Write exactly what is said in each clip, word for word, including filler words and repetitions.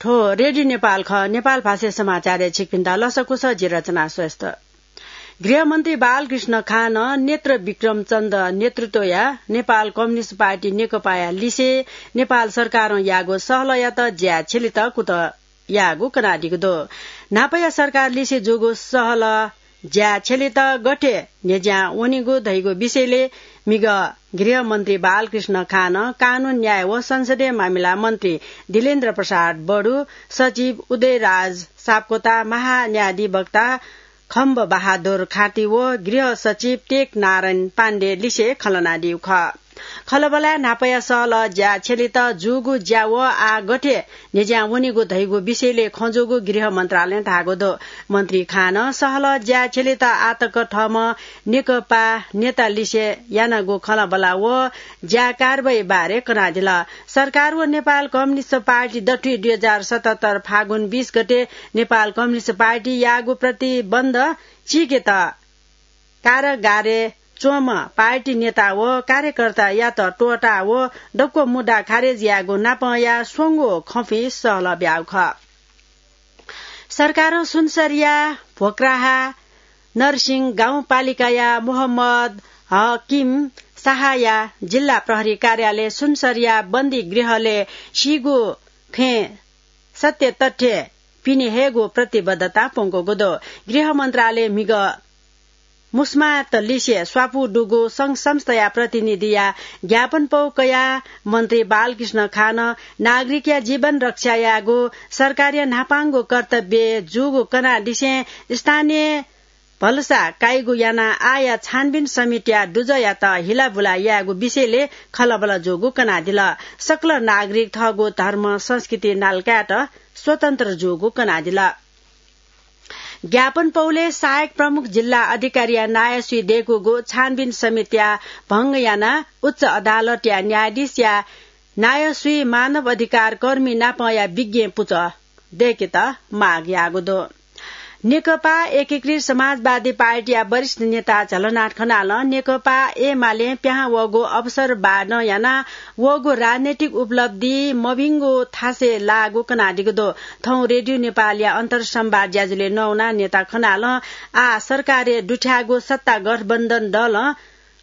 हो, रेडियो नेपाल खः। नेपाल भाषा समाचारय् छिकपिन्त लसकुस, जि रचना श्रेष्ठ। गृहमन्त्री बालकृष्ण खानं नेत्र विक्रम चन्द नेतृत्वया नेपाल कम्युनिस्ट पार्टी नेकपाया लिसे नेपाल सरकारं याःगु सहलहयात ज्या छ्यलेत कुतः याःगु कनादीगु दु। न्हापाया सरकार लिसे जूगु सहलह ज्या छ्यलेत गथे न्ह्यज्यां वनीगु धइगु विषयले म्हिगः गृहमन्त्री बालकृष्ण खानं कानून, न्याय व संसदीय मामिला मन्त्री दिलेन्द्र प्रसाद बडु, सचिव उदयराज सापकोटा, महान्यायाधिवक्ता खम्ब बहादुर खाँटी व गृह सचिव टेक नारायण पाण्डे लिसे खँ ल्हानादीगु खः। खँल्हाबल्हाय् न्हापाया सहलह ज्या छ्यलेत जूगु ज्या व आः गथे न्ह्यज्यां वनीगु धइगु विषयले खँ जूगु गृह मन्त्रालयं धाःगु दु। मन्त्री खानं सहलह ज्या छ्यलेत आःतक थःम्हं नेकपा नेता लिसे यानागु खँल्हाबल्हा व ज्या कारवाही बारे कनादिल। सरकार व नेपाल कम्युनिस्ट पार्टी दथुइ दुई हजार सतहत्तर फागुन बीस गते नेपाल कम्युनिस्ट पार्टी याःगु प्रतिबन्ध चीकेत कारागारय् च्वंम्ह पार्टी नेता व कार्यकर्तायात त्वःता व दक्व मुद्दा खारेज यायेगु नापंया स्वंगू खँपुइ सहलह ब्याःगु खः। सरकारं सुनसरीया भोक्राहा नरसिंह गाउँपालिकाया मोहम्मद हकिम शाहया जिल्ला प्रहरी कार्यालय सुनसरीया बन्दी गृहले सीगु खँय् सत्य तथ्य पिने हयेगु प्रतिबद्धता प्वंकूगु दु। गृह मन्त्रालय म्हिगः मुस्मात लिसे स्वापू दुगु संघ संस्थाया प्रतिनिधिया ज्ञापन पौ कयाः मन्त्री बालकृष्ण खानं नागरिकया जीवन रक्षा यायेगु सरकारया न्हापांगु कर्तव्य जूगु कनादिसें स्थानीय भलसा काइगु यानाः आःया छानबिन समितिया दुजःयात हिलाबुला यायेगु विषयले खँल्हाबल्हा जूगु कनादिल। सकल नागरिक थःगु धर्म संस्कृति नालकायेत स्वतन्त्र जूगु कनादिल। ज्ञापन पौले सहायक प्रमुख जिल्ला अधिकारीया नायःसुइ दय्कूगु छानबिन समितिया भंग यानाः उच्च अदालतया न्यायाधीशया नायःसुइ मानव अधिकार कर्मी नापंया विज्ञ पुचः दय्केत माग याःगु दु। नेकपा एकीकृत समाजवादी पार्टीया वरिष्ठ नेता झलनाथ खनालं नेकपा एमालें पिहां वःगु अवसरवादं यानाः वःगु राजनैतिक उपलब्धि मभिंगु थासय् लाःगु कनादीगु दु। थौं रेडियो नेपालया अन्तरसंवाद ज्याझ्वलय् नवानाः नेता खनालं आः सरकारय् दुथ्याःगु सत्ता गठबन्धन दलं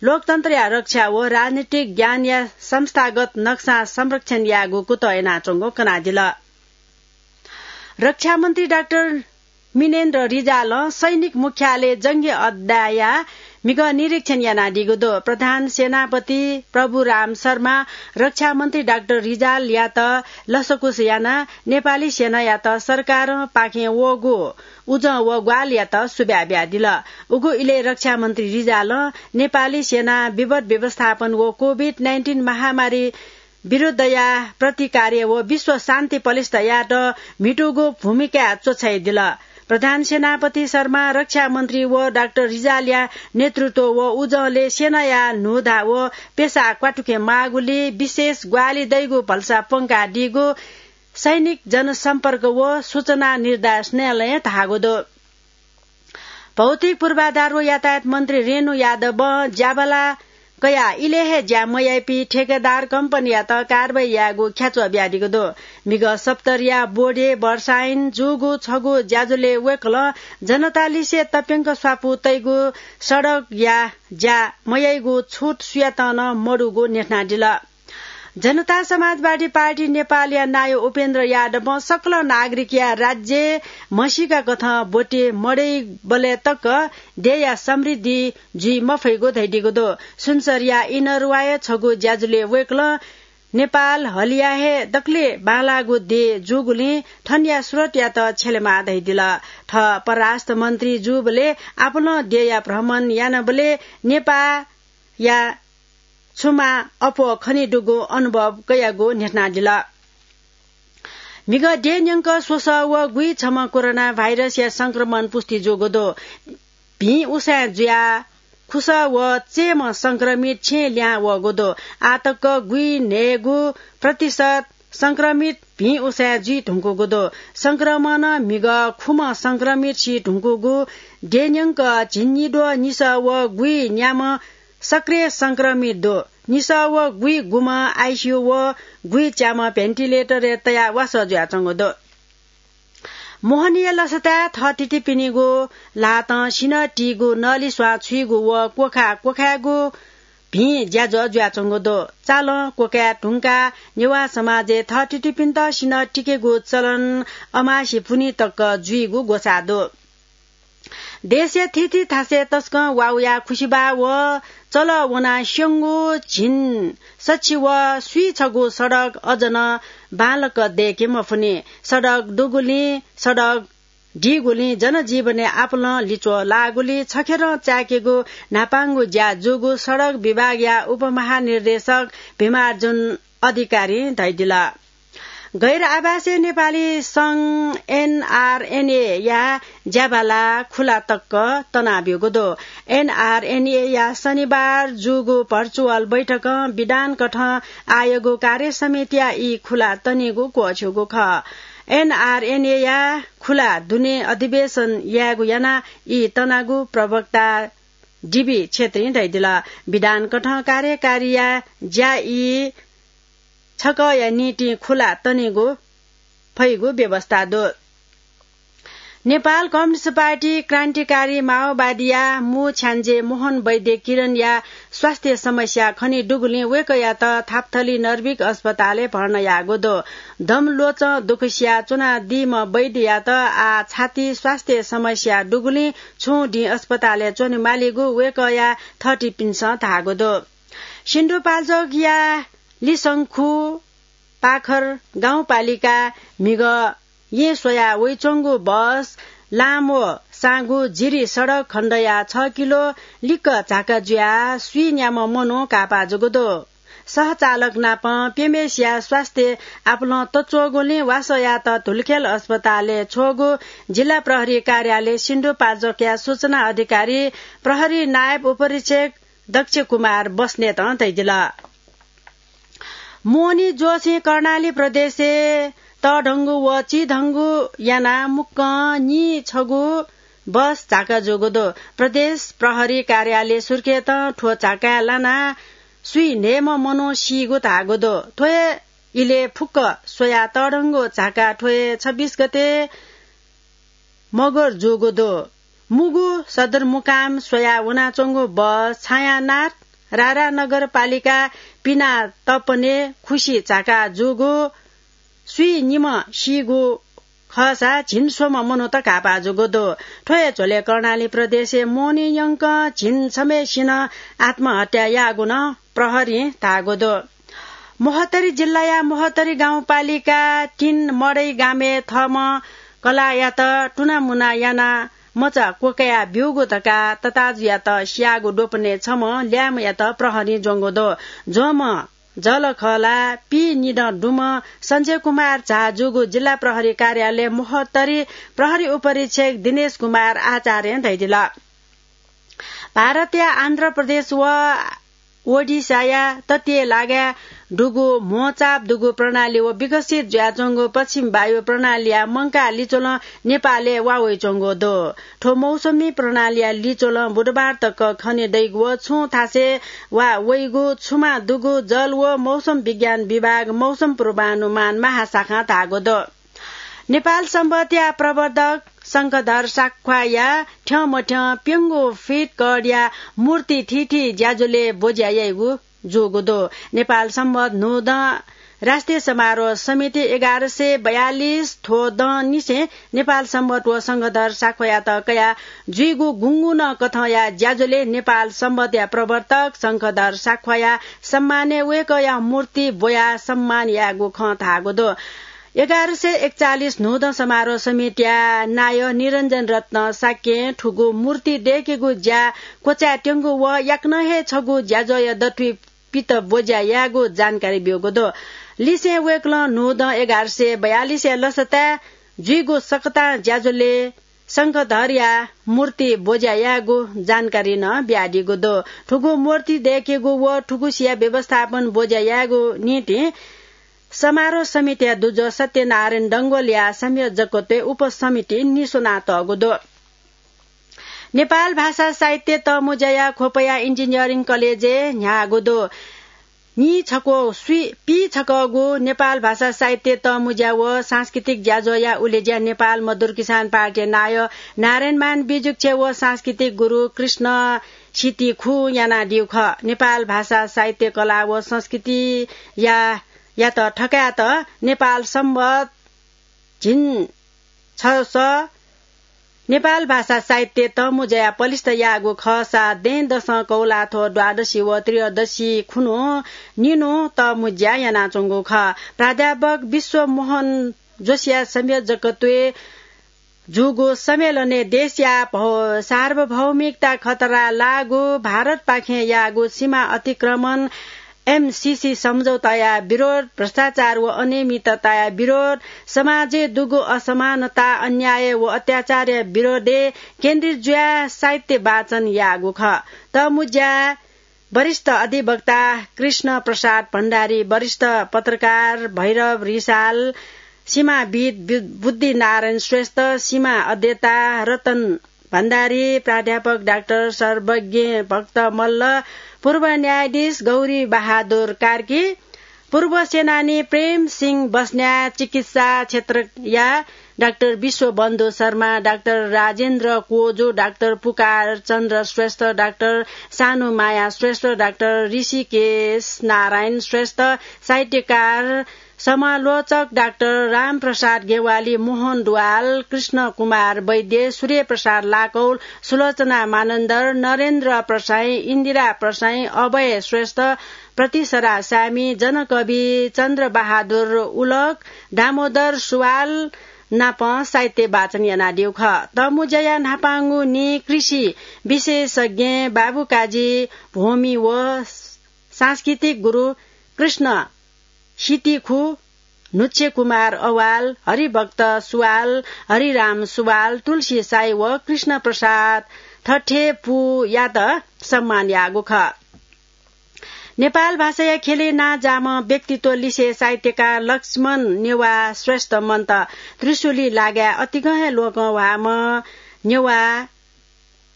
लोकतन्त्रया रक्षा व राजनीतिक ज्ञानया संस्थागत नक्सां संरक्षण यायेगु कुतः यानाच्वंगु कनादिल। रक्षा मन्त्री डाक्टर मिनेन्द्र रिजालं सैनिक मुख्यालय जंगी अड्डाया म्हिगः निरीक्षण यानादीगु दु। प्रधान सेनापति प्रभुराम शर्मा रक्षा मन्त्री डाक्टर रिजालयात लसकुस यानाः नेपाली सेनायात सरकारं पाखें वःगु उजं व ग्वाहालियात सुभाय् बियादिल। उगु इलय् रक्षा मन्त्री रिजालं नेपाली सेना विपद व्यवस्थापन व कोभिड नाइन्टिन महामारी विरुद्धया प्रतिकार्य व विश्व शान्ति पलिस्था यायेत म्हितूगु भूमिका च्वछाइदिल। प्रधान सेनापति शर्मा रक्षा मन्त्री व डाक्टर रिजालया नेतृत्व व उजंले सेनाया न्हूधा व पेसा क्वातुके माःगुलिं विशेष ग्वाहालि दइगु भलसा प्वंकादीगु सैनिक जनसम्पर्क व सूचना निर्देशनालयं धाःगु दु। भौतिक पूर्वाधार व यातायात मन्त्री रेणु यादवं ज्याबला कयाः इलय् हे ज्या मयाइपिं ठेकेदार कम्पनीयात कारवाही यायेगु ख्याच्वः बियादीगु दु। म्हिगः सप्तरीया बोडे वर्षाइन जूगु छगू ज्याझ्वलय् वय्कलं जनतालिसे तप्यंक स्वापू तइगु सडकया ज्या मयाइगु छुट सुयातं नं मदुगु न्ह्यथनादिल। जनता समाजवादी पार्टी नेपालया नायः उपेन्द्र यादवं सकल नागरिकया राज्य म्हसीका कथं ब्वति मदइबलय् तक देय्या समृद्धि जुइ मफइगु धयादीगु दु। सुनसरीया इनरुवाय् छगू ज्याझ्वलय् वय्कलं नेपाल हलिया हे दकले बांलाःगु देय् जूगुलिं थनया स्रोतयात छ्यलेमाः धयादिल। थः परराष्ट्र मन्त्री जूबलय् आपालं देय्या भ्रमण यानाबलय् नेपाःया छुमा अप्वः खनेदुगु अनुभव कयागु न्ह्यथनादिल। म्हिगः देय् न्यंक स्वसः व गुइछम्ह कोरोना भाइरसया संक्रमण पुष्टि जूगु दु। भिं उसाँय् जुयाः खुसः व चय्म्ह संक्रमित छेँय् लिहां वःगु दु। आःतक गुइन्हय्गू प्रतिशत संक्रमित भिं उसाँय् जुइ धुंकूगु दु। संक्रमणं म्हिगः खुम्ह संक्रमित सी धुंकूगु देय् न्यंक झिंनिद्वः निसः व गुइन्याम्ह सक्रिय संक्रमित दु। निसः व गुइगुम्ह आइसियु व गुइच्याम्ह भेन्टिलेटरय् तयाः वासः जुयाच्वंगु दु। मोहनीया लसताय् थःथितिपिनिगु ल्हातं सिन्हः तीगु, नलिस्वां छुइगु व क्वखा क्वखायेगु भिं ज्याझ्वः जुयाच्वंगु दु। चालं क्वखाये धुंकाः नेवाः समाजय् थःथितिपिन्त सिन्हः तिकेगु चलन अमासे पुन्हि तक जुइगु ग्वसाः दु। देशया थीथी थासय् तसकं वाउया खुसिबाः व चलः वनाः स्यंगु झिंसछि व स्वीछगू सडक अझ नं बांलाक दय्के मफुनि। सडक दुगुलिं, सडक दीगुलिं जनजीवनय् आपालं लिच्वः लाःगुलिं छखेरं चाय्केगु न्हापांगु ज्या जूगु सडक विभागया उपमहानिर्देशक भीमार्जुन अधिकारीं धयादिल। गैर आवासीय नेपाली संघ एनआरएनए या ज्याबाला खुला तक तनाब्यूगु दु। एनआरएनए या शनिबार जूगु भर्चुअल बैठकं विधान कथं आयोगु कार्य समितिया ई खुला तनीगु क्वःछ्यूगु खः। एनआरएनए या खुला दुने अधिवेशन यायेगु यानाः ई तनागु प्रवक्ता डिबी क्षेत्रीं धयादिल। विधान कथं कार्यकारीया ज्या ई छकःया निंतिं खुला तनीगु फइगु व्यवस्था दु। नेपाल कम्युनिस्ट पार्टी क्रान्तिकारी माओवादीया मू छ्याञ्जे मोहन वैद्य किरणया स्वास्थ्य समस्या खने दुगुलिं वय्कःयात थापथली नर्भिक अस्पतालय् भर्ना याःगु दु। दम ल्वचं दुःख सिया च्वनादीम्ह वैद्ययात आः छाती स्वास्थ्य समस्या दुगुलिं छुं दिं अस्पतालय् च्वनेमालीगु वय्कःया थःथितिपिन्सं धाःगु दु। सिन्धुपाल्चोकया लिसंखु पाखर गाउँपालिका म्हिगः येँ स्वया वइच्वंगु बस लाम व साँगु जिरी सडक खण्डया छ किलो लिक्क झाका जुयाः स्वीन्याम्ह मनू काःपाः जूगु दु। सहचालक नाप प्यम्हेसिया स्वास्थ्य आपालं तच्वःगुलिं वासःयात धुलिखेल अस्पतालय् छ्वःगु जिल्ला प्रहरी कार्यालय सिन्धुपाल्चोकया सूचना अधिकारी प्रहरी नायब उपरीक्षक दक्ष कुमार बस्नेतं धयादिल। मोहनी ज्वःसिं कर्णाली प्रदेशय् तःधंगु व चिधंगु यानाः मुक्कं नीछगू बस झाका जूगु दु। प्रदेश प्रहरी कार्यालय सुर्खेतं थ्व झाकाय् लानाः स्वीन्हय्म्ह मनू सीगु धाःगु दु। थ्व हे इलय् फुक्क स्वयाः तःधंगु झाका थ्व हे छब्बीस गते मगर जूगु दु। मुगु सदरमुकाम स्वयाः वनाच्वंगु बस छायानाथ रारा नगरपालिका पिना तपने खुसी झाका जूगु स्वीनिम्ह सीगु खःसा झिंस्वम्ह मनूत काःपाः जूगु दु। थ्व हे झ्वलय् कर्णाली प्रदेशय् मोहनी यंकं झिंछम्हेसिनं आत्महत्या याःगु नं प्रहरीं धाःगु दु। महोत्तरी जिल्लाया महोत्तरी गाउँपालिका तीन मडै गामय् थःम्हं कलाःयात तुनामुना यानाः मचा क्वकया ब्यूगु धकाः तताजुयात स्याःगु द्वपनय् छम्ह ल्याय्म्हयात प्रहरीं ज्वंगु दु। ज्वंम्ह जःलाख ला पीनिदँ दुम्ह सञ्जय कुमार झा जूगु जिल्ला प्रहरी कार्यालय महोत्तरी प्रहरी उपरीक्षक दिनेश कुमार आचार्यं धयादिल। भारतया आन्ध्र प्रदेश व ओडिशाया तटीय लागाय् दुगु म्होचाप दुगु प्रणाली व विकसित जुयाच्वंगु पश्चिम वायु प्रणालीया मंकाः लिच्वलं नेपालय् वा वइच्वंगु दु। थ्व मौसमी प्रणालीया लिच्वलं बुधबार तक खने दइगु व छुं थासय् वा वइगु छुमा दुगु जल व मौसम विज्ञान विभाग मौसम पूर्वानुमान महाशाखां धाःगु दु। नेपाल संवतया प्रवर्तक शंखधर साख्वाया थ्यंमथ्यं प्यंगू फिट कःडया मूर्ति थीथी ज्याझ्वलय् ब्वज्या याइगु जूगु दु। नेपाल संवत न्हूदँ राष्ट्रिय समारोह समिति एघार सय बयालिस थ्व दँनिसें नेपाल संवत व शंखधर साख्वायात कयाः जुइगु गुंगुनं कथंया ज्याझ्वलय् नेपाल संवतया प्रवर्तक शंखधर साख्वाया सम्मानय् वय्कःया मूर्ति ब्वयाः सम्मान यायेगु खँ धाःगु दु। एघार सय एकचालिस न्हूदँ समारोह समितिया नायः निरञ्जन रत्न शाक्यं थुगु मूर्ति दय्केगु ज्या क्वचाय्त्यंगु व याकनं हे छगू ज्याझ्वःया दथुइ पित ब्वज्या यायेगु जानकारी ब्यूगु दु। लिसें वय्कलं न्हूदँ एघार सय बयालिसया लसताय् जुइगु सकतां ज्याझ्वलय् शंखधरया मूर्ति ब्वज्या यायेगु जानकारी नं बियादीगु दु। थुगु मूर्ति दय्केगु व थुगुसिया व्यवस्थापन ब्वज्या यायेगु निंतिं समारोह समितिया दुजः सत्यनारायण डंगोलया संयोजकत्वय् उपसमितिं निस्वनातःगु दु। नेपाल भाषा साहित्य तःमुँज्याया ख्वपया इन्जिनियरिङ कलेजय् न्ह्याःगु दु। नि छक्व स्वी पी छकःगु नेपाल भाषा साहित्य तःमुज्या व सांस्कृतिक ज्याझ्वःया उलेज्या नेपाल मजदुर किसान पार्टी नायः नारायणमान बिजुक्छे व सांस्कृतिक गुरु कृष्ण सिति खु यानादिउ खः। नेपाल भाषा साहित्य कला व संस्कृति या, यात थकायत नेपाल संवत झिन छ स नेपाल भाषा साहित्य तःमुज्या पलिस्थ याःगु खःसा दँय्‌दसं कौलाथ्व द्वादशी व त्रयोदशी खुन्हु निन्हु तःमुज्या यानाच्वंगु खः। प्राध्यापक विश्वमोहन जोशीया संयोजकत्वय् जूगु सम्मेलनय् देशया भौ-, सार्वभौमिकता खतरा लाःगु, भारतपाखें याःगु सीमा अतिक्रमण, एमसीसी सम्झौताया विरोध, भ्रष्टाचार व अनियमितताया विरोध, समाजय् दुगु असमानता, अन्याय व अत्याचारया विरोधय् केन्द्रित जुयाः साहित्य वाचन याःगु खः। तःमुज्या वरिष्ठ अधिवक्ता कृष्ण प्रसाद भण्डारी, वरिष्ठ पत्रकार भैरव रिसाल, सीमाविद बु-, बुद्धिनारायण श्रेष्ठ, सीमा अध्येता रतन भण्डारी, प्राध्यापक डाक्टर सर्वज्ञ भक्त मल्ल, पूर्व न्यायाधीश गौरी बहादुर कार्की, पूर्व सेनानी प्रेम सिंह बस्न्या, चिकित्सा क्षेत्रया डाक्टर विश्वबन्धु शर्मा, डाक्टर राजेन्द्र कोजु, डाक्टर पुकार चन्द्र श्रेष्ठ, डाक्टर सानुमाया श्रेष्ठ, डाक्टर ऋषिकेश नारायण श्रेष्ठ, साहित्यकार समालोचक डाक्टर रामप्रसाद गेवाली, मोहन ढुवाल, कृष्ण कुमार वैद्य, सूर्य प्रसाद लाकौल, सुलोचना मानन्धर, नरेन्द्र प्रसाईं, इन्दिरा प्रसाईं, अभय श्रेष्ठ, प्रतिसरा सामी, जनकवि चन्द्रबहादुर उलक, दामोदर सुवाल नाप साहित्य वाचन यानादिउ खः। तःमुज्याया न्हापांगु नि कृषि विशेषज्ञ बाबुकाजी भूमि व सांस्कृतिक गुरु कृष्ण सितिखु, नुच्छे कुमार अवाल, हरिभक्त सुवाल, हरिराम सुवाल, तुलसी साई व कृष्ण प्रसाद थथेपुयात सम्मान याःगु खः। नेपाल भाषाया ख्यलय् नांजाःम्ह व्यक्तित्व लिसे साहित्यकार लक्ष्मण नेवाः श्रेष्ठ मन्त त्रिशुली लागाय् अतिकं हे लोकंह्वाःम्ह नेवाः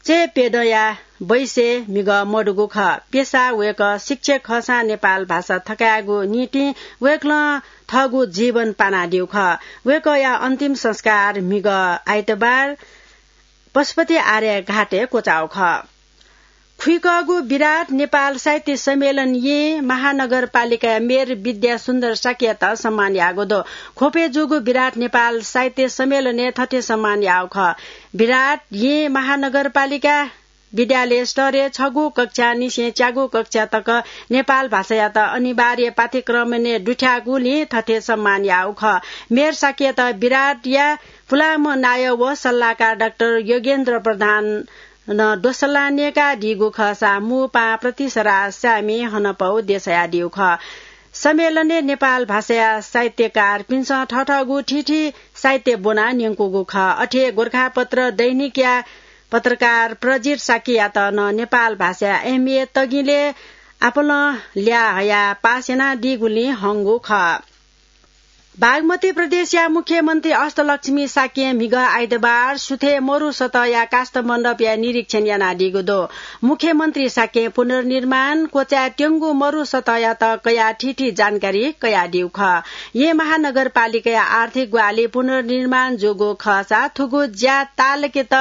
चय्‌प्यदँया बैसय् म्हिगः मदुगु खः। पेसा वय्‌कः शिक्षक खःसां नेपाल भाषा थकायेगु निंतिं वय्‌कलं थःगु जीवन पानादिउ खः। वय्‌कःया अन्तिम संस्कार म्हिगः आइतबार पशुपति आर्य घाटय् क्वचाउ खः। खुइकःगु विराट नेपाल साहित्य सम्मेलन येँ महानगरपालिकाया मेयर विद्या सुन्दर शाक्ययात सम्मान याःगु दु। ख्वपय् जूगु विराट नेपाल साहित्य सम्मेलनय् थथे सम्मान याःगु खः। विराट येँ महानगरपालिका विद्यालय स्तरय् छगू कक्षानिसें च्यागू कक्षा तक नेपाल भाषायात अनिवार्य पाठ्यक्रमय् दुथ्याःगुलिं थथे सम्मान याःगु खः। मेयर शाक्ययात विराटया पुलांम्ह नायः व सल्लाहकार डाक्टर योगेन्द्र प्रधान नं दोसल्ला न्यय्‌कादीगु खःसा मू पाहां प्रतिसरा सामी हनपौ देछायादीगु खः। सम्मेलनय् नेपाल भाषाया साहित्यकारपिन्सं थःथःगु थीथी साहित्य ब्वनाः न्यंकूगु खः। अथे गोरखापत्र दैनिकया पत्रकार प्रजित शाक्ययात नं नेपाल भाषाया एमए तगिलय् आपालं ल्याः हयाः पास यानादीगुलिं हंगु खः। बागमती प्रदेशया मुख्यमन्त्री अष्टलक्ष्मी शाक्यं म्हिगः आइतबार सुथय् मरु सतहया काष्ठमण्डपया निरीक्षण यानादीगु दु। मुख्यमन्त्री शाक्यं पुनर्निर्माण क्वचाय् त्यंगु मरु सतहयात कयाः थीथी जानकारी कयादीगु खः। येँ महानगरपालिकाया आर्थिक ग्वाहालि पुनर्निर्माण जूगु खःसा थुगु ज्या ताःलाकेत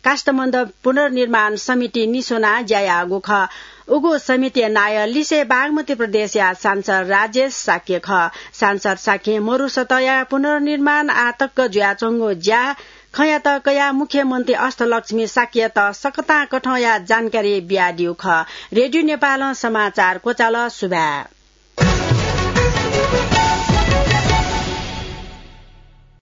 काष्ठमण्डप पुनर्निर्माण समिति निस्वनाः ज्या याःगु खः। उगु समितिया नायः लिसे बागमती प्रदेशया सांसद राजेश शाक्य खः। सांसद शाक्यं मरु सतहया पुनर्निर्माण आःतक जुयाच्वंगु ज्या खँयात कयाः मुख्यमन्त्री अष्टलक्ष्मी शाक्ययात सकतां कथंया जानकारी बियादीगु खः। रेडियो नेपालं समाचार क्वचाल। सुभाय्।